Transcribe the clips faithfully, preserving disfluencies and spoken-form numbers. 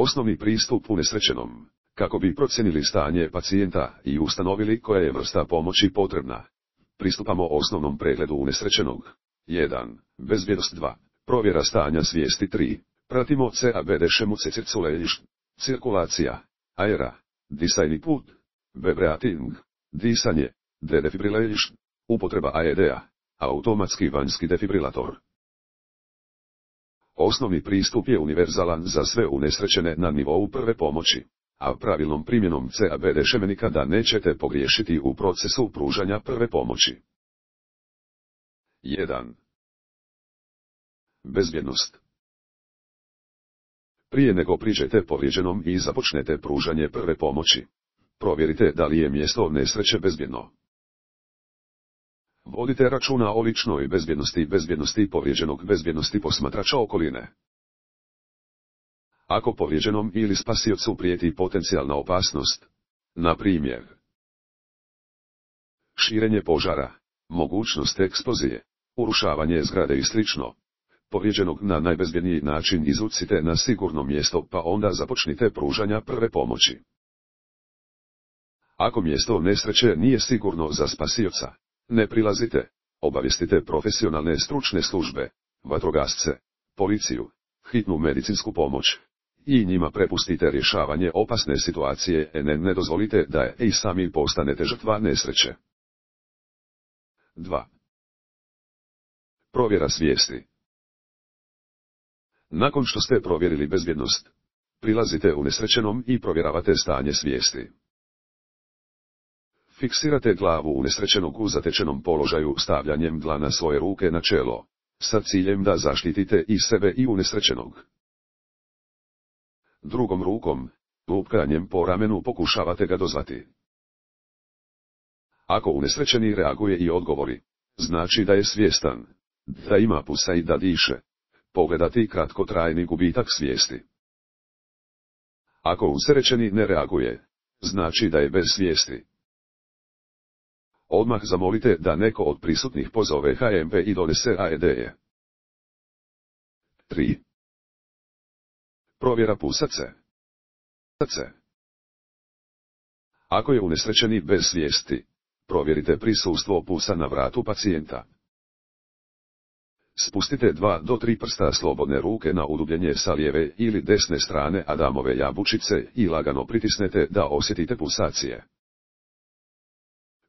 Osnovni pristup unesrećenom. Kako bi procijenili stanje pacijenta i ustanovili koja je vrsta pomoći potrebna, pristupamo osnovnom pregledu unesrećenog. jedan. Bezbjednost. dva. Provjera stanja svijesti. tri. Pratimo C A B D šemu circulation, cirkulacija, aera, disajni put, B breathing, disanje, D defibrillation, upotreba A E D-a, automatski vanjski defibrilator. Osnovni pristup je univerzalan za sve unesrećene na nivou prve pomoći, a pravilnom primjenom C A B D šeme nikada nećete pogriješiti u procesu pružanja prve pomoći. jedan. Bezbjednost. Prije nego priđete povrijeđenom i započnete pružanje prve pomoći, provjerite da li je mjesto nesreće bezbjedno. Vodite računa o ličnoj bezbjednosti, bezbjednosti povrijeđenog, bezbjednosti posmatrača okoline. Ako povrijeđenom ili spasiocu prijeti potencijalna opasnost, na primjer širenje požara, mogućnost eksplozije, urušavanje zgrade i slično, povrijeđenog na najbezbjedniji način izucite na sigurno mjesto pa onda započnite pružanja prve pomoći. Ako mjesto nesreće nije sigurno za spasioca, ne prilazite, obavijestite profesionalne stručne službe, vatrogasce, policiju, hitnu medicinsku pomoć i njima prepustite rješavanje opasne situacije, ne, ne dozvolite da i sami postanete žrtva nesreće. dva. Provjera svijesti. Nakon što ste provjerili bezbjednost, prilazite unesrećenom i provjeravate stanje svijesti. Fiksirate glavu unesrećenog u zatečenom položaju stavljanjem dlana svoje ruke na čelo, sa ciljem da zaštitite i sebe i unesrećenog. Drugom rukom, lupkanjem po ramenu pokušavate ga dozvati. Ako unesrećeni reaguje i odgovori, znači da je svjestan, da ima pulsa i da diše. Pogledati kratkotrajni gubitak svijesti. Ako unesrećeni ne reaguje, znači da je bez svijesti. Odmah zamolite da neko od prisutnih pozove H M P i donese A E D-je. tri. Provjera pulsa C. C. Ako je unesrećeni bez svijesti, provjerite prisustvo pulsa na vratu pacijenta. Spustite dva do tri prsta slobodne ruke na udubljenje sa lijeve ili desne strane Adamove jabučice i lagano pritisnete da osjetite pulsacije.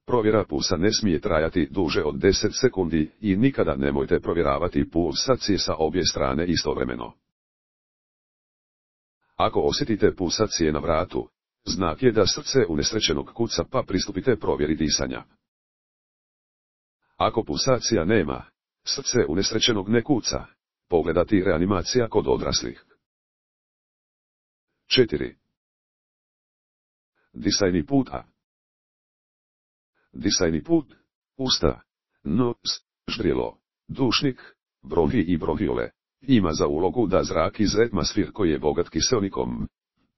Provjera pulsa ne smije trajati duže od deset sekundi i nikada nemojte provjeravati pulsacije sa obje strane istovremeno. Ako osjetite pulsacije na vratu, znak je da srce unesrećenog kuca pa pristupite provjeri disanja. Ako pulsacija nema, srce unesrećenog ne kuca, pogledati reanimacija kod odraslih. četiri. Disajni put A. Disajni put, usta, nos, ždrijelo, dušnik, bronhi i bronhiole, ima za ulogu da zrak iz atmosfer koji je bogat kiseonikom,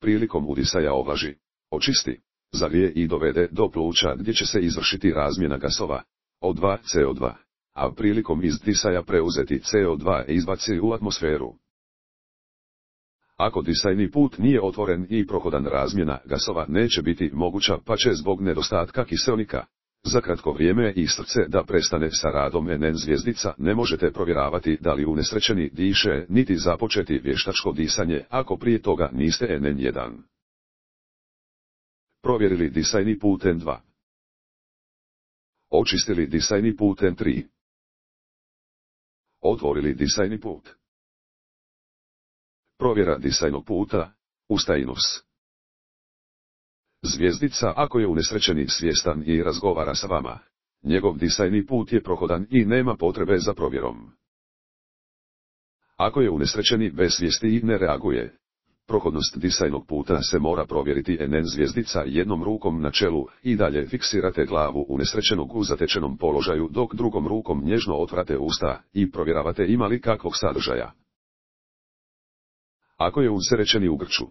prilikom udisaja ovlaži, očisti, zagrije i dovede do pluća gdje će se izvršiti razmjena gasova, O dva, C O dva. A prilikom izdisaja preuzeti C O dva izbaci u atmosferu. Ako disajni put nije otvoren i prohodan, razmjena gasova neće biti moguća pa će zbog nedostatka kiseonika za kratko vrijeme i srce da prestane sa radom. N N zvjezdica ne možete provjeravati da li unesrećeni diše niti započeti vještačko disanje ako prije toga niste N N jedan. Provjerili disajni put N dva. Očistili disajni put N tri. Otvorili disajni put. Provjera disajnog puta, usta i nos. Zvjezdica ako je unesrećeni svjestan i razgovara sa vama, njegov disajni put je prohodan i nema potrebe za provjerom. Ako je unesrećeni bez svijesti i ne reaguje, prohodnost disajnog puta se mora provjeriti. N N zvjezdica jednom rukom na čelu i dalje fiksirate glavu unesrećenog u zatečenom položaju dok drugom rukom nježno otvarate usta i provjeravate ima li kakvog sadržaja. Ako je unesrećeni u grču,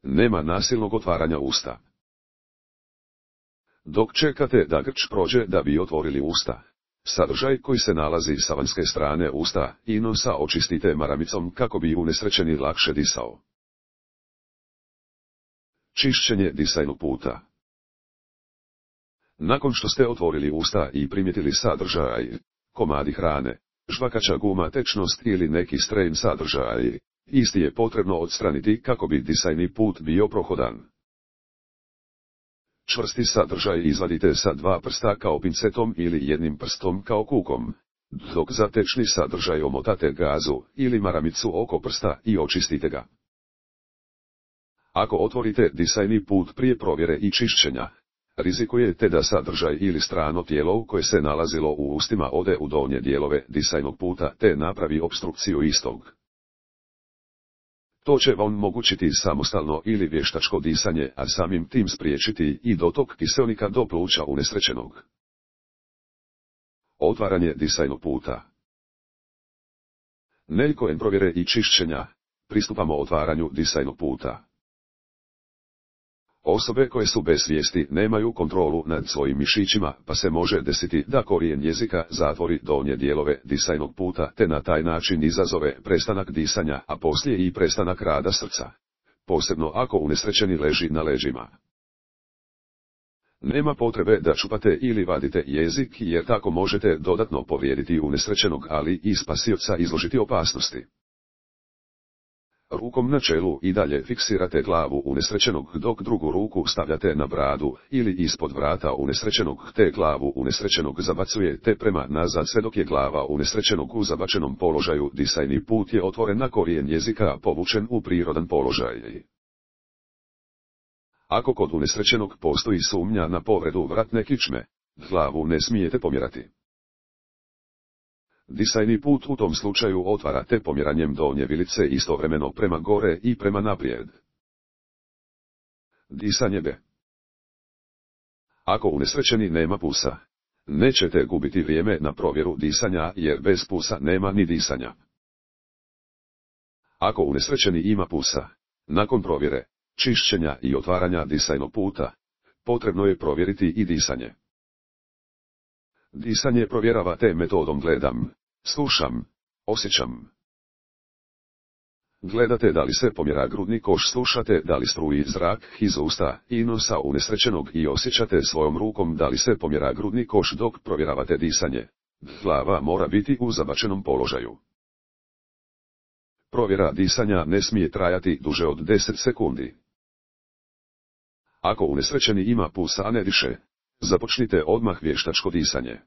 nema nasilnog otvaranja usta. Dok čekate da grč prođe da bi otvorili usta, sadržaj koji se nalazi sa vanjske strane usta i nosa očistite maramicom kako bi unesrećeni lakše disao. Čišćenje disajnog puta. Nakon što ste otvorili usta i primijetili sadržaj, komadi hrane, žvakača guma, tečnost ili neki stren sadržaj, isti je potrebno odstraniti kako bi disajni put bio prohodan. Čvrsti sadržaj izvadite sa dva prsta kao pincetom ili jednim prstom kao kukom, dok za tečni sadržaj omotate gazu ili maramicu oko prsta i očistite ga. Ako otvorite disajni put prije provjere i čišćenja, rizikujete da sadržaj ili strano tijelo koje se nalazilo u ustima ode u donje dijelove disajnog puta te napravi opstrukciju istog. To će vam omogućiti samostalno ili vještačko disanje, a samim tim spriječiti i dotok kiseonika do pluća unesrećenog. Otvaranje disajnog puta. Nakon provjere i čišćenja, pristupamo otvaranju disajnog puta. Osobe koje su bez svijesti nemaju kontrolu nad svojim mišićima, pa se može desiti da korijen jezika zatvori donje dijelove disajnog puta te na taj način izazove prestanak disanja, a poslije i prestanak rada srca. Posebno ako unesrećeni leži na leđima. Nema potrebe da čupate ili vadite jezik jer tako možete dodatno povrijediti unesrećenog, ali i spasioca izložiti opasnosti. Rukom na čelu i dalje fiksirate glavu unesrećenog dok drugu ruku stavljate na bradu ili ispod vrata unesrećenog te glavu unesrećenog zabacujete prema nazad sve dok je glava unesrećenog u zabačenom položaju. Disajni put je otvoren na korijen jezika povučen u prirodan položaj. Ako kod unesrećenog postoji sumnja na povredu vratne kičme, glavu ne smijete pomjerati. Disajni put u tom slučaju otvarate pomjeranjem donje vilice istovremeno prema gore i prema naprijed. Disanje B. Ako unesrećeni nema pulsa, nećete gubiti vrijeme na provjeru disanja jer bez pulsa nema ni disanja. Ako unesrećeni ima pulsa, nakon provjere, čišćenja i otvaranja disajnog puta, potrebno je provjeriti i disanje. Disanje provjeravate metodom gledam, slušam, osjećam. Gledate da li se pomjera grudni koš, slušate da li struji zrak iz usta i nosa unesrećenog i osjećate svojom rukom da li se pomjera grudni koš dok provjeravate disanje. Glava mora biti u zabačenom položaju. Provjera disanja ne smije trajati duže od deset sekundi. Ako unesrećeni ima pulsa a ne diše, započnite odmah vještačko disanje.